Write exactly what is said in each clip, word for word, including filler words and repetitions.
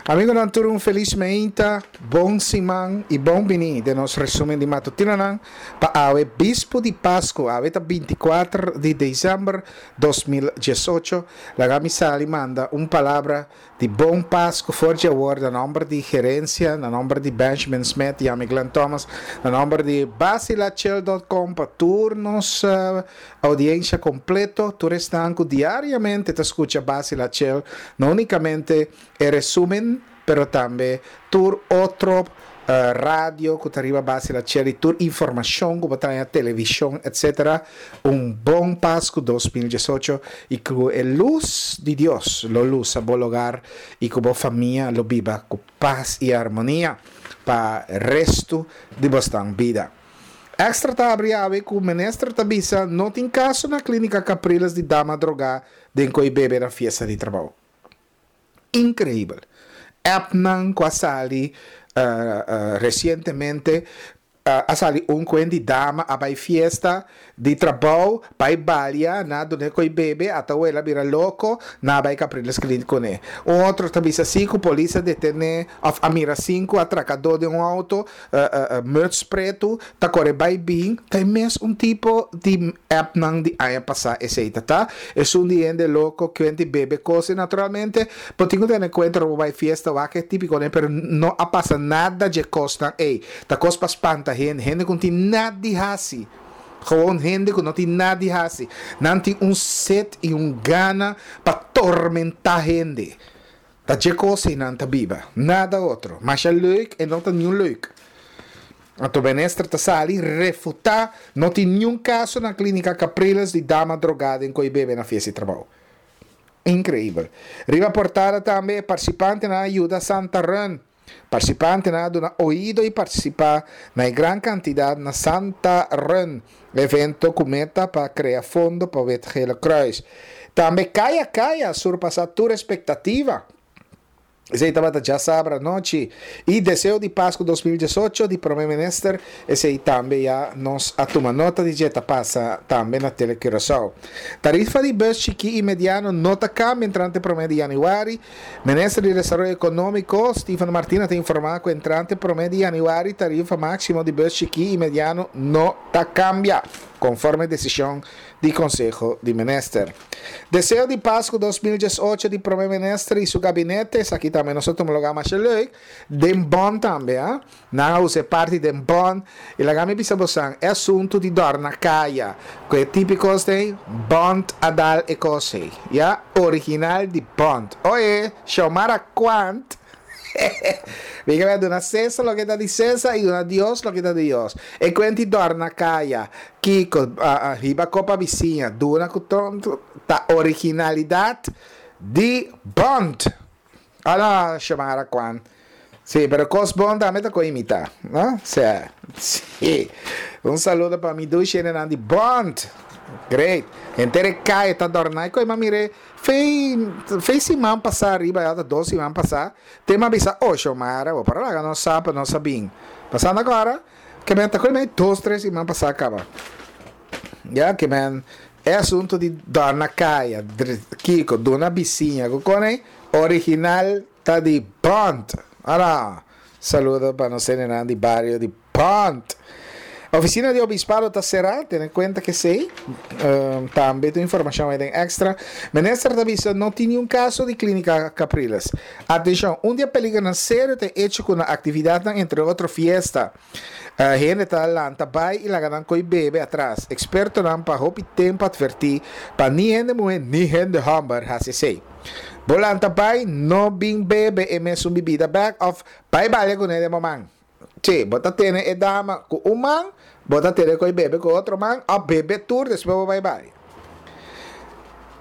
Amigonan tur, un felis mainta, bon siman i bon bini den nos resumen di matutinonan pa awe bispo di Pasku, awe ta binti kuater di desèmber dos mil diesocho. Laga mi sali manda un palabra di bon Pasku for di awor na nòmber di gerensia, na nòmber di Benjamin Smith i ami Glenn Thomas, na nòmber di basilachel punto com pa tur nos uh, oudiensia kompleto, tur esnan ku diariamente ta skucha Basila Chill, no únikamente e resumen, pero tambe tur otro uh, radio ku ta riba Basila Chill i tur informashon ku ta na televishon, et cetera. Un bon Pasku dos mil diesocho i ku e lus di Dios lo lusa bo hogar i ku bo famia lo biba ku pas i harmonia pa restu di bo bida. Extra ta habri awe ku minister ta bisa no tin kaso na Klínika Capriles di dama drogá den koi bebe na fiesta di trabou. Inkreibel. Appnan ku a sali uh, uh, resientemente, uh, a sali un kuenta di dama a bai fiesta di trabou, bai balia, nan dun'é koi bebe, ata el a bira loko, nan a bai Capriles Clinic kuné. Un otro ta bisa sinku polis a detené òf a mira sinku atrakadó den un outo, uh, uh, uh, muts pretu, ta kore bai bin, ta mes un tipo di appnan di aña pasá esei ta. E un di hende loko, kuenta bebe kos, naturalmente, bo tin ku tene kuenta bai fiesta, wak e típiko, ne? Pero no a pasa nada di kosnan, ei, ta kos pa spanta hende, hende ku no tin nada di hasi. Gewoon hende ku no tin nada di hasi. Nan tin un set i un gana pa tormentá hende. Ta dje kos nan ta biba. Nada otro. Masha leuk e no ta niun leuk. Anto minister ta sali refutá, no tin niun kaso na Klínika Capriles di dama drogá den koi bebe na fiesta di trabou. Inkreibel. Riba portada tambe, partisipantenan a yuda Santa Run. Partisipantenan a duna oido i partisipá na gran kantidat na Santa Run, evento ku meta pa krea fondo pa Wit Gele Kruis. Tambe Kaya Kaya surpasá tur ekspektativa. Esei tabata djasabra anochi. I deseo di Pasku dos mil diesocho di Promé Minister, esei tambe ya nos a tuma nota di dje, ta pasa tambe na Tele Curaçao. Tarifa di bus chikí i mediano no ta kambia entrante promé di yanüari. Minister di Desaroyo Ekonómiko, Steven Martina, ta informá ku entrante promé di yanüari tarifa máksimo di bus chikí i mediano no ta kambia, konforme desishon di Konseho di Minister. Deseo di Pasku dos mil diesocho di Promé Minister i su gabinete, esaki tambe nos a tuma lugá mas leuk, den Bond tambe, eh? Nan a usa parti den Bond, i laga mi bisa boso, e asuntu di dòrna kaya, ku e típiko di Bond a dal e kos, ya, original di Bond. Oye, Xiomara Quant, Venga, duna César loke ta di César i duna Dios loke ta di Dios. E kuenta di dòrna kaya, kiko, uh, uh, riba kopa bisiña, duna ta originalidat di Bond. Ala, Xiomara Quant. Sí, pero kos bon tambe ta imitá, no? Sí. Sí. Un saludo pa mi dushi di Bond. Great. Henter kaya ta dòrna. I m'a mira, fei, fei siman pasá ariba, ya dos siman pasá. Te m'a bisa, oh, Xiomara, bo para lá, no sabe, no sabem. Pasando awor, ke men ta kome dos, tres siman pasá kaba. Ya, ke men e asuntu di dòrna kaya, kiko, duna bisiña, kone original ta di Bond. Ara, saludo pa nos di bario di Bond. Ofisina di Obispado ta será, tene kuenta ku esei. Um, tambe tin informashon ei Extra. Minister ta bisa no tin ningun kaso di Klínika Capriles. Atenshon, un di e peligernan serio ta hecho ku aktividat, entre otro fiesta. Uh, hende ta lanta bai i laga nan koi bebe atras. Ekspertonan pa hopi tempu a atvertí pa ni hende muhé ni hende hòmber hasi esei. Bo lanta bai no bin bebe e mesun bibida bèk òf bai bale kuné den man. Sí, bo ta tene e dama ku un man, bo ta tene koi bebe ku otro man, òf bebe tur, despues bai bai.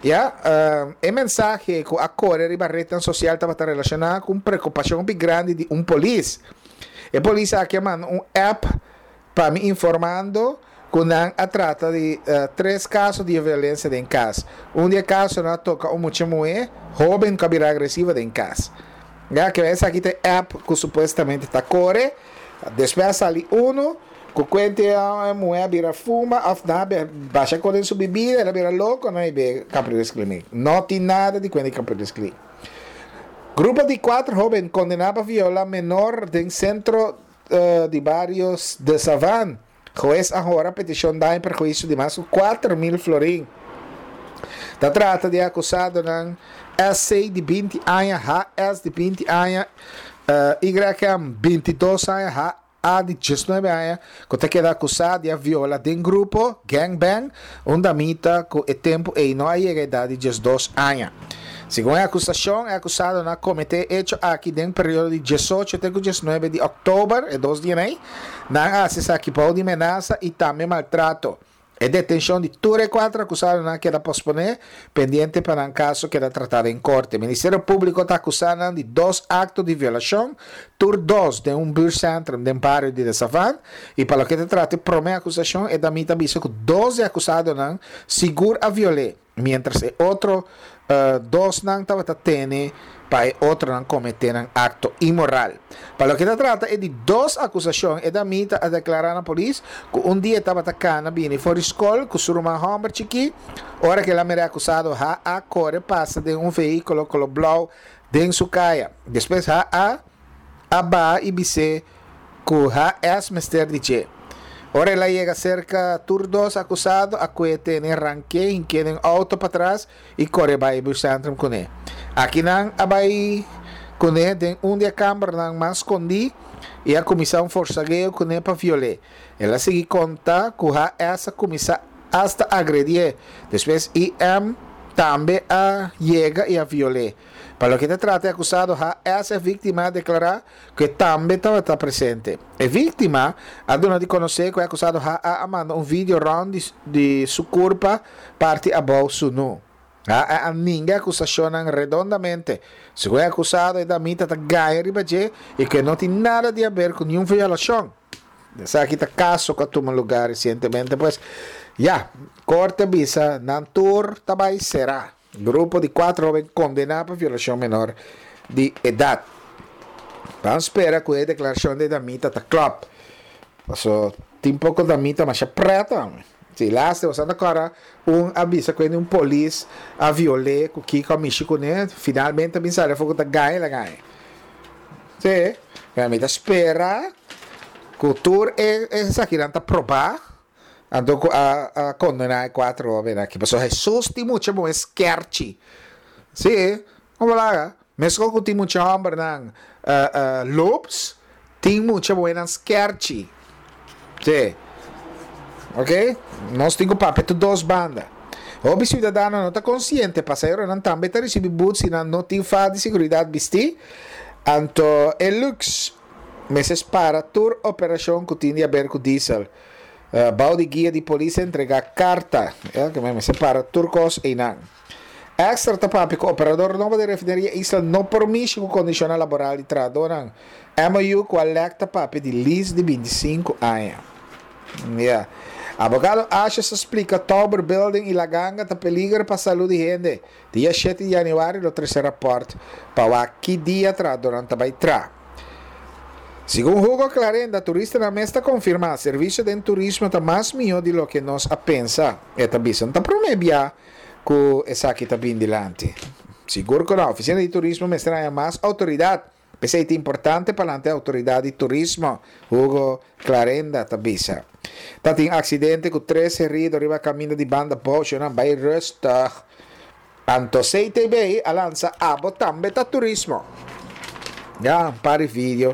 Ya, uh, e mensahe ku a kore riba ret sosial tabata relashoná ku preokupashon grandi di un polis. E polis aki a manda un app pa mi informando ku nan a trata di uh, tres kaso di violensia den kas. Un di e kasonan a toka un mucha muhé, hóben ku a bira agresivo den kas. Ya, ku esaki ta app ku supuestamente ta kore, despues a sali uno, ku kuenta e muhé a bira fuma, òf nan a basha kos den su bibida, el a bira loko, no i bai Capriles Clinic. No tin nada di kuenta Capriles Clinic. Grupo di kuater hóben kondená pa violá menor den sentro uh, di bario De Savan. Hues a hora petishon daño i perhuisio di mas ku kuater mil florin. Ta trata di akusadonan S C di binti aña, H S di binti aña, uh, Y M bintidos aña, H A di diesnuebe aña, ku ta keda akusá di violá den grupo, gangbang, un damita ku e tempu ei no a yega edat di diesdos aña. Segun e akusashon, e akusadonan a kometé e echo aki den periodo di diesocho te diesnuebe di òktober, e dos dia ei, nan a hasi esaki bou di menasa i tambe maltrato. E detenshon di tur e kuater akusadonan a keda posponé, pendiente pa e kaso keda tratá den korte. Ministerio Públiko ta akusá di dos akto di violashon, tur dos den un buurtcentrum den bario di De Savan, i pa loke ta trata e promé akusashon, e damita a bisa ku dos akusadonan sigur a viol'é, mientras e otro uh, dosnan tabata tene pa e otronan kometé akto inmoral. Pa loke ta trata e di dos akusashon, e damita a deklará na polis ku un dia tabata kana bini for di skol ku su ruman hòmber chikí, ora ku el a mira akusado H A kore pasa den un vehíkulo koló blou den su kaya. Despues H A a baha i bis'é ku H S mester di dje. Ora el a yega serka, tur dos akusado a kue tene, rank'é, hink'é den outo patras i kore bai buurtcentrum kuné. Aki nan a bai kuné den un di e kambernan mas skondí i a kuminsá un forsageo kuné pa viol'é. El a sigui konta ku H S a kuminsá asta agredié. Despues I M tambe a yega i a viol'é. Pa loke ta trata e akusado H S, e víktima a deklará ku e tambe tabata presente. E víktima a duna di konosé ku e akusado H A a manda un video rònt di, di su kurpa parti abou sunú. A, a ninga e akusashon redondamente. Segun e akusado, e damita ta gaña riba dje i ku no tin nada di haber ku ningun violashon. Esaki ta kaso ku a tuma lugá resientemente. Pues, ya, korte a bisa, nan tur ta bai será. Grupo di kuater hóben kondená pa violashon menor di edat. Ban spera ku e deklarashon di damita ta klòp. So, tin poko damita masha preta. Si laste, bo ta un a bisa ku un polis a viol'é ku kiko a mishi kuné, finalmente mi sali ku ta gaña la gaña. Si, mi ta spera ku tur e esakinan ta probá, anto a, a kondená kuater hóben aki. Pasobra Jesus tin mucha bon skerchi. Si, kon laga? Meskos ku tin mucha hòmbernan uh, uh, lobs, tin mucha bon skerchi. Si. Ok? Nos tin ku papia tur dos banda. O siudadano no ta konsiente, pasaheronan tambe ta risibí but si nan no tin faha di seguridat bistí. Anto, e lux, mester para tur operashon ku tin di haber ku diesel. Uh, bou di guia di polis a entregá karta. Ja, ku mester para tur kos einan. Extra ta papia ku operador nobo di refineria Isla no por mishi ku kondishon laboral di trahadónan. M O U ku Alecta papia di lease di bintisinku aña. Yeah. Abogado Ashes a splika Tower Building i La Ganga ta peliger pa salú di hende. Dia shete di yanüari lo trese rapòrt pa ki dia trahadónan ta bai traha. Segun Hugo Clarenda, turistanan mes ta konfirmá, servisio di turismo ta mas mihó di loke nos a pensa. E ta bisa, ta promé bia ku esaki ta bin dilanti. Sigur ku e ofisina di turismo mester mas outoridat. P'esei ta importante pa e outoridat di turismo. Hugo Clarenda ta bisa. Tabatin aksidente ku tres herido riba kaminda di Banda Bou, nan bai rustig. Anto C T B a lansa Abo Tambe Ta Turismo. Ja, par di video.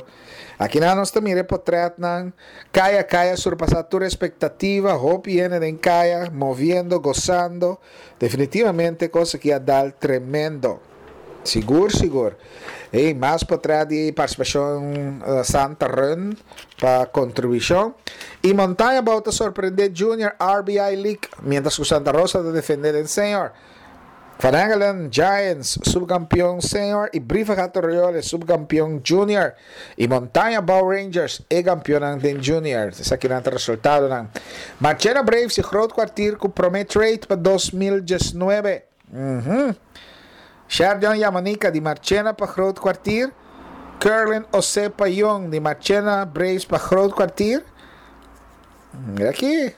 Aki na nos tambe portrètnan. Kaya Kaya surpasá tur ekspektativa. Hopi hende den kaya, moviendo, gosando. Definitivamente kos ku a dal tremendo. Sigur, sigur. I mas portrèt di partisipashon uh, Santa Run pa kontribushon. I Montaña Abou ta sorprendé Junior R B I League, mientras ku Santa Rosa ta defendé e senior. Van Engelen Giants, subkampeon senior, i Brievengat Royal, subkampeon junior. I Montaña Abou Rangers, e kampeon den junior. Esaki ta resultadonan. Marchena Braves i Groot Kwartier ku promé trade pa dos mil diesnuebe. Uhum. Sherdion Yamanika di Marchena pa Groot Kwartier. Curlin Osepa Young di Marchena Braves pa Groot Kwartier. Mira aki.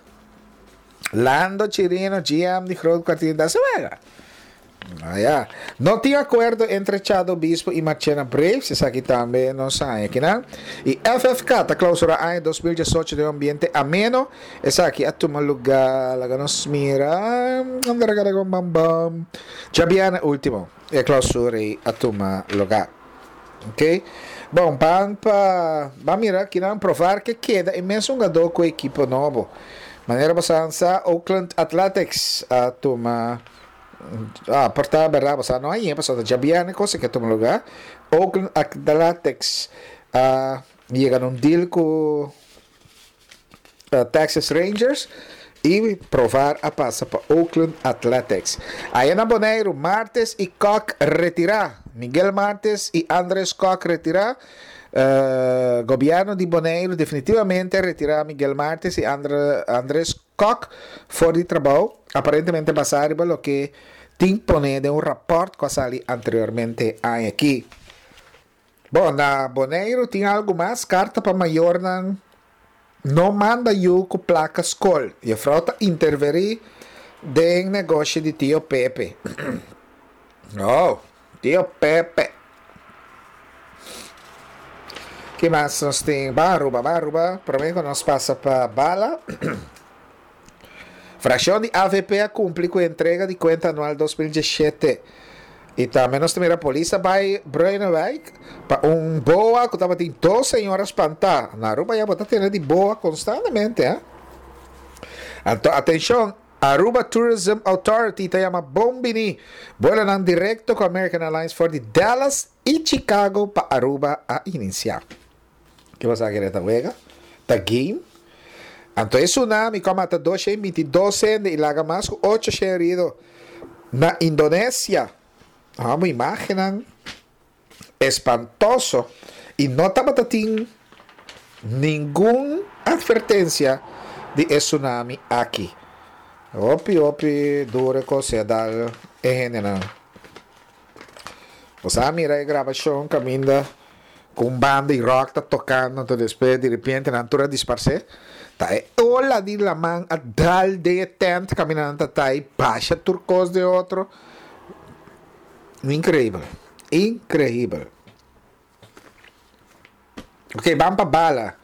Lando Chirino, G M di Groot Kwartier da Sewega. Ah, ya. No tin akuerdo entre Chado Obispo i Marchena Braves, esaki tambe nos sa akinan. I F F K ta klousurá aña dos mil diesocho den un ambiente ameno. Esaki a tuma lugá, laga nos mira, bam bam. Djabièrnè último, e klousura a tuma lugá. Ok? Bon, ban pa, ban mira akinan, Profar ke keda e mesun hungadó ku ekipo nobo. Manera bo sa, Oakland Athletics a tuma. Ah, por ta bèrdat, bo no ei, pasó djabièrnè kos ku a tuma lugá. Oakland Athletics a yega na un deal ku uh, Texas Rangers i Profar a pasa pa Oakland Athletics. Ei na Boneiru, Martes i Kock retirá. Miguel Martes i Andres Kock retirá. Uh, gobièrnu di Boneiru definitivamente a retirá Miguel Martes i Andre, Andres Kock for di trabou, aparentemente basá riba loke tin poné den un rapòrt ku a sali anteriormente aki. Bon, na Boneiru tin algu mas, karta pa mayornan: no manda yu ku plaka skol. Yùfrou ta intervení den negoshi di Tio Pepe. Oh, Tio Pepe. Ki mas nos tin? Ban Aruba, ban Aruba. Promé ku nos pasa pa Bala. Frakshon di A V P a kumpli ku entrega di kuenta anual dos mil diesshete. I tambe nos mira polis a bai Bruinewijk pa un boa ku tabatin dos señora spantá. Na Aruba ya bo ta tende di boa konstantemente, eh? Anto, atenshon, Aruba Tourism Authority ta yama bon bini. Buelonan direkto ku American Airlines for di Dallas i Chicago pa Aruba a inisiá. Ki bo kere ta wega? Ta game? Anto e tsunami ku a mata dos shen bintidos hende i laga mas ku ocho herido na Indonesia. Amo imágennan espantoso i no tabatin ningun atvertensia di e tsunami aki. Hopi, hopi duru kos a dal e hendenan. Bo a mira e grabashon kaminda ku un banda di rock ta tokando, anto despues di repente nan tur a disparsé. Ta e ola di laman a dal den e tent kaminda nan ta i basha tur kos den otro. Inkreibel. Inkreibel. Ok, ban pa Bala.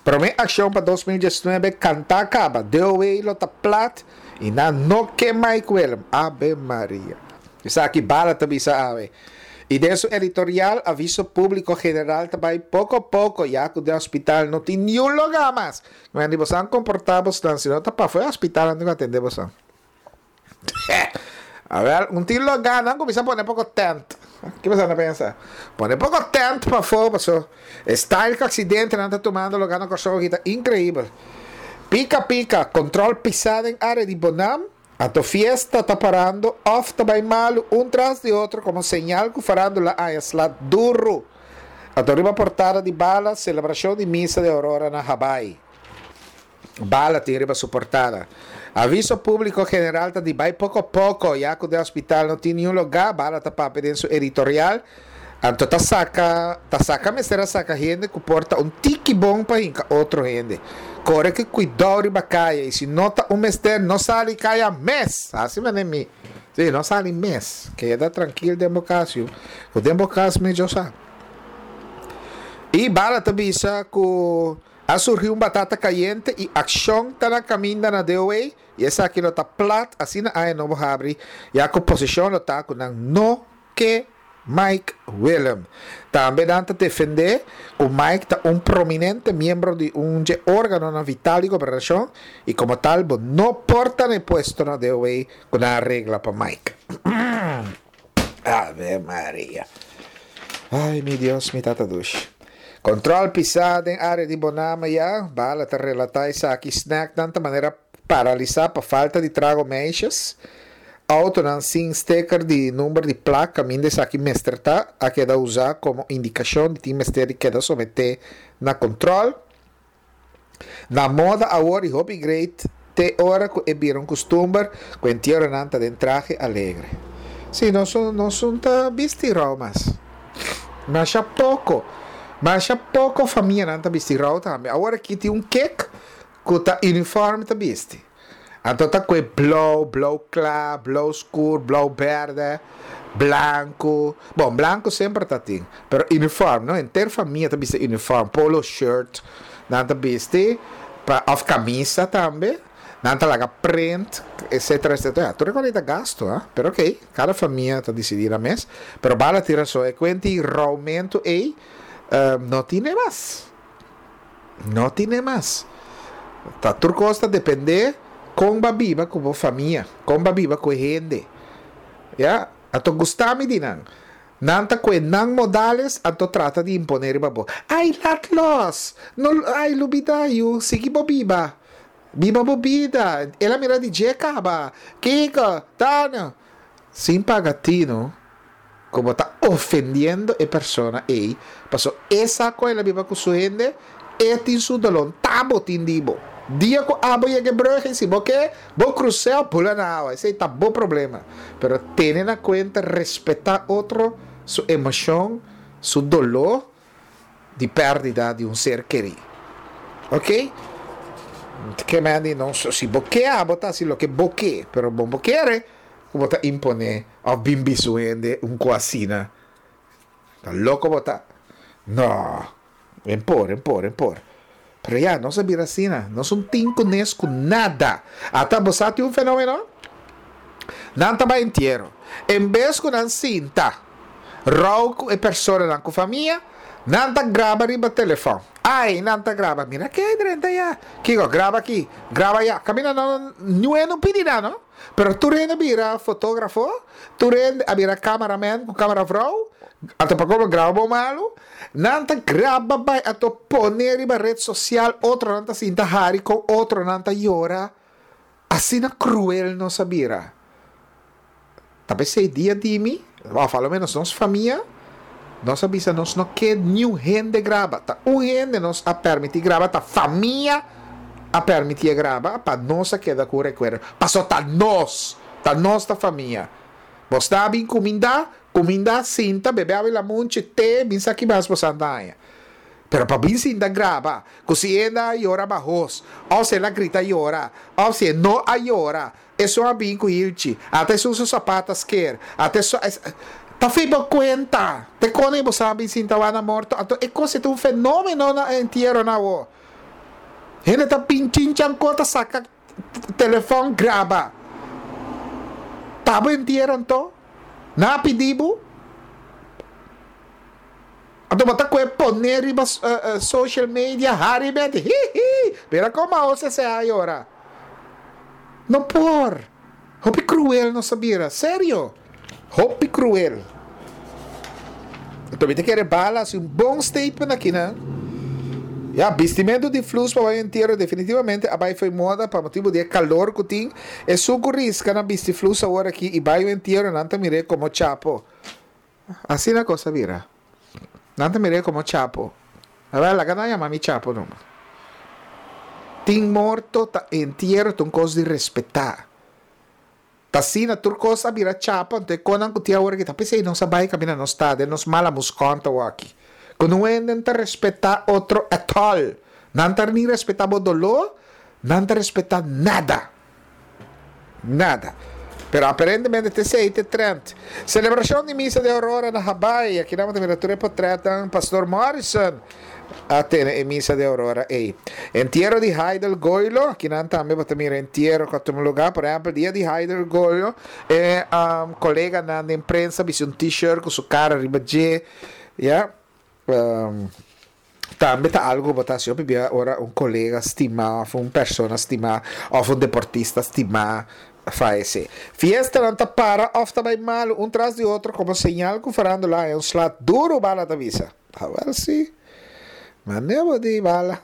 Promé akshon pa dos mil diesnuebe kantá kaba. D O W lo ta plat i nan no ke Mike Willem. Ave Maria. Esaki Bala ta bisa awe. I den su editorial, Aviso Públiko General ta bai poko poko, ya ku den hospital no tin niun lugá mas. Ma di boso komportá boso, si no ta pafó hospital no atendé boso. A ber, no tin lugá, nan kuminsá pone poko tent. Kiko boso ta pensa? Pone poko tent pafó, paso. Style ku aksidentenan ta tumando lugá na Kòrsou ta inkreibel. Pika pika, kontrol pisá den área di Bonam. Anto fiesta ta parando, òf ta bai malu, un tras di otro, komo señal ku farándula a sla duru. Anto riba portada di Bala, selebrashon di misa di Aurora na Hawaii. Bala tin riba su portada. Aviso Públiko General ta di bai poko poko, ya ku den hospital no tin niun lugá. Bala ta papia den su editorial. Anto ta saka, ta saka mester a saka hende ku por ta un tiki bon pa hinka otro hende. Kore ku kuidou riba kaya i si no ta un mester, no sali kaya mes. Asina mi. Si, no sali mes. Keda trankil den bo kas. Ku den bo kas mihó sa. I Bala ta bisa ku a surgi un batata kayente i akshon ta na kaminda na D O W i esaki lo ta plat asina aña nobo habri, ya ku posishon lo ta ku nan no ke Mike Willem. Tambe nan ta defendé ku Mike ta un prominente miembro di un órganonan vital di gobernashon i komo tal bo no por ta na puesto na D O W ku nan a regla pa Mike. Ave Maria. Ai, mi Dios, mi tata dushi. Kontrol pisá den área di Bonama ya. Bala ta relatá esaki. Snacknan ta manera paralisá pa falta di trago meisjes. Autonan sin sticker di number di plaka, kaminda esaki mester ta, a keda usá komo indikashon di tin mester di keda someté na kontrol. Na moda awor i hopi great te ora ku e bira un kustumber ku entieronan ta den trahe alegre. Si, nos nos no ta bisti rou mas. Masha poko. Masha poko famianan ta bisti rou tambe. Awor aki tin un kek ku ta uniform ta bisti. Anto ta kue blou, blou kla, blou skur, blou bèrdè, blanku. Bon, blanku semper ta tin, pero uniform, no? Henter famia ta bisti uniform, polo shirt nan ta bisti, pa òf kamisa tambe, nan ta laga print, etcetera, etcetera. Ya, tur e kos ta gastu, ha? Pero okey, kada famia ta disidí nan mes. Pero bala tin rason, e kuenti roumentu ei no tine mas. No tine mas. Ta tur kos ta dependé kon bo a biba ku bo famia, kon bo a biba ku e hende. Ya, anto gusta mi di nan. Nan ta kue nan modales anto trata di imponé riba bo. Ai lat los! No, ai lubida yu, sigui bo biba. Biba bo bida. El a mira di dje kaba. Kiko? Tano. Sin paga tino ku bo ta ofendiendo e persona ei, paso e sa ku el a biba ku su hende, e tin su doló, ta bo tin di bo. Dia ku abo yega e brug ei, si bo ke, bo krus'é òf bula na awa, esei ta bo problema. Pero tene na kuenta respetá otro su emoshon, su doló di pèrdida di un ser kerí. Oke? Ke men di nos, si bo ke abo ta hasi loke bo ke, pero bo bo kere ku bo ta imponé òf bin bisa un hende un ku asina. Ta loko bo ta? No. En por, en por, en por. Pero ya, nos a bira asina. Nos un tin kunes ku nada. Ata bo sa tin un fenomeno? Nan ta bai entiero. En bes ku nan sinta rou ku e personanan ku famia, nan ta graba riba telefòn. Ai, nan ta graba. Mira ke drenta ya. Kiko? Graba aki, graba aya. Kaminda nan niun no pidi nan no. Pero tur hende a bira fotografo, tur hende a bira cameraman ku cameravrouw, anto pa komo graba bo malu, nan ta graba bai anto pone riba red sosial, otronan ta sinta hari kon otronan ta yora. Asina kruel nos a bira. Ta p'esei dia di mi, òf a lo ménos nos famia, nos a bisa nos no ke niun hende graba. Ta un hende nos a pèrmití graba, ta famia a pèrmitié graba pa nos a keda ku un rekuerdo. Pasobra ta nos, ta nos ta famia. Bo sta bin kumindá, kumindá, sinta, bebe awa i lamunchi, te, bin sa ki mas bo sa ta haña. Pero pa bin sinta graba, ku si e a yora bahos, òf si el a grita yora, òf si e no a yora, Esun a bin ku hilchi, ata esun su sapat a sker, ata esun a. Ta fi bo kuenta! Te kone bo sa bin sinta wak na morto? Anto e kos e ta un fenomeno na e entieronan awo. Hende ta bin chinchanko ta saka telefòn graba. Ta bo entiero anto? Nan a pidi bo? Anto bo ta koe pone riba social media hari beti hihi mira como a ose se a yora. No por. Hopi cruel nos a bira. Serio. Hopi cruel. Anto mi ta kere Bala haci un bon statement aki nan. Ya, bistimento di flus pa bai entiero definitivamente a bai fo'i moda pa motibu di e calor cu tin. Esun cu risca na bisti flus awor aki y bai un entiero nan ta mir'é como chapo. Asina kos a bira. Nan ta mir'é komo chapo. Awel, laga nan yama mi chapo numa. Tin morto ta entiero ta un kos di respetá. Ta asina tur kos a bira chapo, anto e konan ku tin awor aki ta p'esei nos a bai kaminda nos ta den nos mala muskon ta wòki. Ku no hende ta respetá otro at all. Nan ta ni respetá bo doló, nan ta respetá nada. Nada. Pero aparentemente ta esei ta e trend. Celebracion di Misa di Aurora na Habaai. Aki nan bo ta mira tur e potretnan. Pastor Morrison a tene e Misa di Aurora ei. Entiero di Haidel Goilo. Aki nan tambe bo ta mira entiero cu a tuma lugar. Por ehempel, dia di Haidel Goilo, e coleganan den prensa bisti un t-shirt cu su cara riba dje. Ya. Tambe ta algo ku bo ta hasi hopi bia ora un kolega stimá òf un persona stimá òf un deportista stimá fayesé. Fiestanan ta para òf ta bai malu un tras di otro komo señal ku farándula haña un sla duru, Bala ta bisa. Awèl sí. Mane bo di Bala.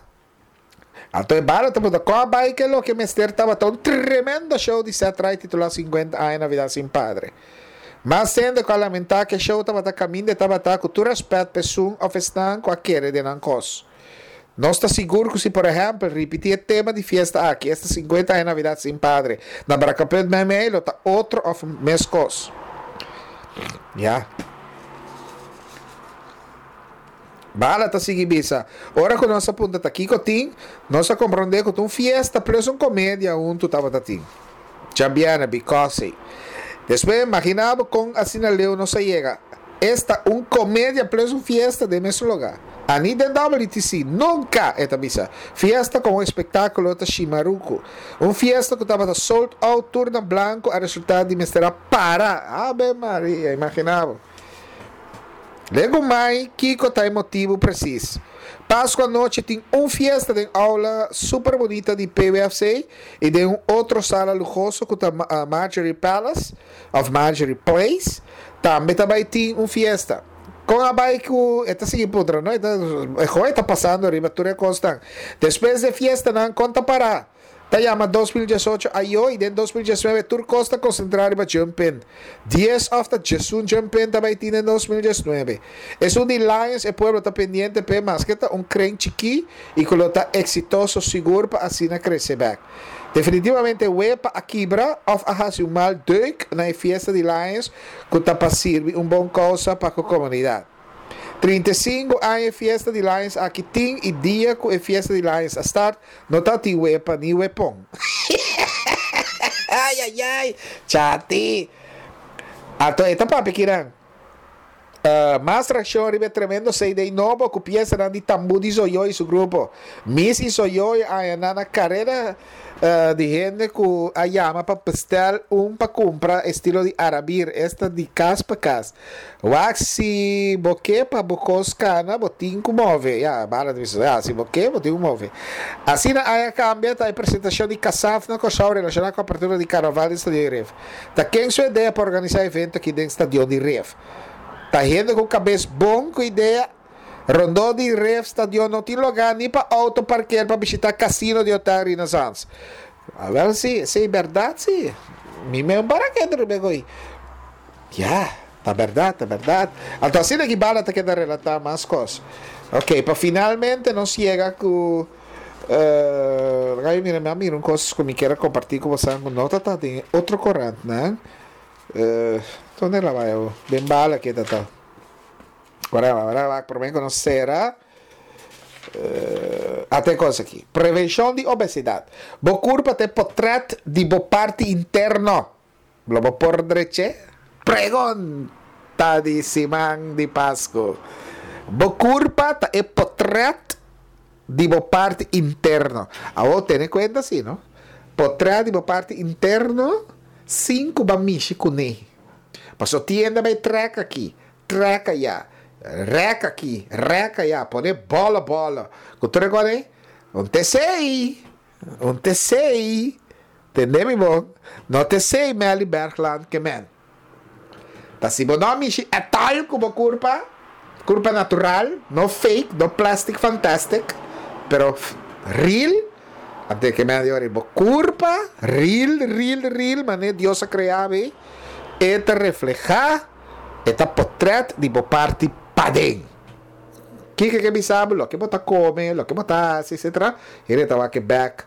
Anto e bala ta puntra, Kon a bai ke loke mester tabata un tremendo show di Seth Wright titulá Sinkuenta Aña Navidad Sin Padre? Mas hende ku a lamentá ku e show tabata kaminda e tabata ku tur rèspèt pa esun òf esnan ku a kere den nan kos. Nos ta sigur ku si por ehèmpel ripití e tema di fiesta aki, esta Sinkuenta Aña Navidad Sin Padre, na Brakkeput meimei lo ta otro òf meskos. Ya. Bala ta sigui bisa. Ora ku nos a puntra ta kiko tin, nos a komprondé ku ta un fiesta plus un komedia huntu tabata tin. Djabièrnè, because. Despues imaginá bo kon asina leu nos a yega. Esta un komedia plus un fiesta den mesun lugá. Ani den W T C, nunka, e ta bisa. Fiesta komo espektákulo ta shimaruku. Un fiesta ku tabata sold out tur na blanku a resultá di mester a para. Ave Maria, imaginá bo. Legumai kiko ta e motibu presis. Pasku anochi tin un fiesta den aula super bunita di P W F C i den un otro sala luhoso ku ta uh, Marjorie Palace of Marjorie Place. Tambe tambe tin un fiesta. Kon a bai ku e ta sigui puntra, no? E ta e ta pasando riba tur e kosnan. Despues di fiestanan kon ta para. Ta yama dos mil diesocho ayo i den dos mil diesnuebe tur kos ta konsentrá riba jump-in. dies òf ta diesun jump-in tambe tin den dos mil diesnuebe. Esun di Lions e pueblo ta pendiente pe maske ta un kren chikí i ku lo ta eksitoso sigur pa asina krese bèk. Definitivamente wepa a kibra òf a hasi un mal deuk na e fiesta di Lions ku ta pa sirbi un bon kousa pa e komunidat. trinta i sinku aña fiesta di Lions aki tin i dia ku e fiesta di Lions a start no tabatin wepa ni wepon. Ai ai ai, chati. Anto e ta papia kinan. Uh, mas reakshon riba tremendo C D nobo ku piesanan di Tambu di Zoyo i su grupo. Miss i Zoyo a na karera uh, di hende ku a yama pa bestel un pa kumpra estilo di Arabir, esta di kas pa kas. Wak si bo ke pa bo kos kana, bo tin ku move. Ya, bala di ya, si bo ke, bo tin ku move. Asina a kambia ta e presentashon di Kasaf na Kòrsou relashoná ku apertura di karnaval di Stadion di Rif. Ta ken su idea pa organisá evento aki den Stadion di Rif? Ta hende ku kabes bon ku idea. Rondó di Rif Stadion no tin lugá ni pa outo parker pa bishitá kasino di Hotel Renaissance. Awèl si, si, bèrdat si. Mi mes para ku e. Ya, ta bèrdat, ta bèrdat. Anto asina ku bala ta keda relatá mas kos. Ok, pa finalmente nos yega ku uh, ai mira, mira un kos ku mi ke kompartí ku boso, no ta den otro korant, no? Uh, unda el a bai? Den Bala ku ta. Awor, awor, pa mi konosé. Uh, ata kos aki. Prevenshon di obesidat. Bo kurpa ta portrèt di bo parti interno. Lo bo por drecha? Pregunta di siman di Pasku. Bo kurpa ta e portrèt di bo parti interno. Awor tene kuenta asina, no? Portrèt di bo parti interno, sin ku bo a mishi kuné. Paso tin hende bai trèk aki, trèk aya, rèk aki, rèk aya, pone bola bola. Ku tur agora, un T seis, un T seis, tende mi bon? No T seis Melly Bergland ke men. Ta si bo no mishi e tal ku bo kurpa, kurpa natural, no fake, no plastic fantastic, pero real, ante ke men di bo kurpa, real, real, real, manera Dios a krea e, e ta reflehá, e ta portrèt di bo parti paden. Kiko ke bisa bo, loke bo ta kome, loke bo ta hasi, et cetera. E ta wak bèk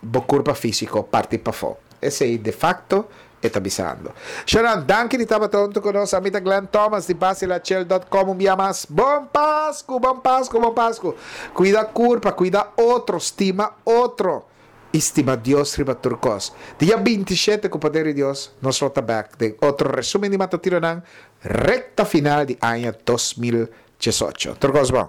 bo kurpa físiko parti pafó. Esei de facto e ta bisando. Sharon, danki di tabata huntu ku nos. Ami ta Glenn Thomas di basilachel punto com. Un dia mas. Bon Pasku, bon Pasku, bon Pasku. Kuida kurpa, kuida otro, stima otro. Stima Dios riba tur kos. Dia bintisshete, ku poder di Dios, nos ta bèk den otro resúmen di matutinonan, rekta final di aña dos mil diesocho. Tur kos bon.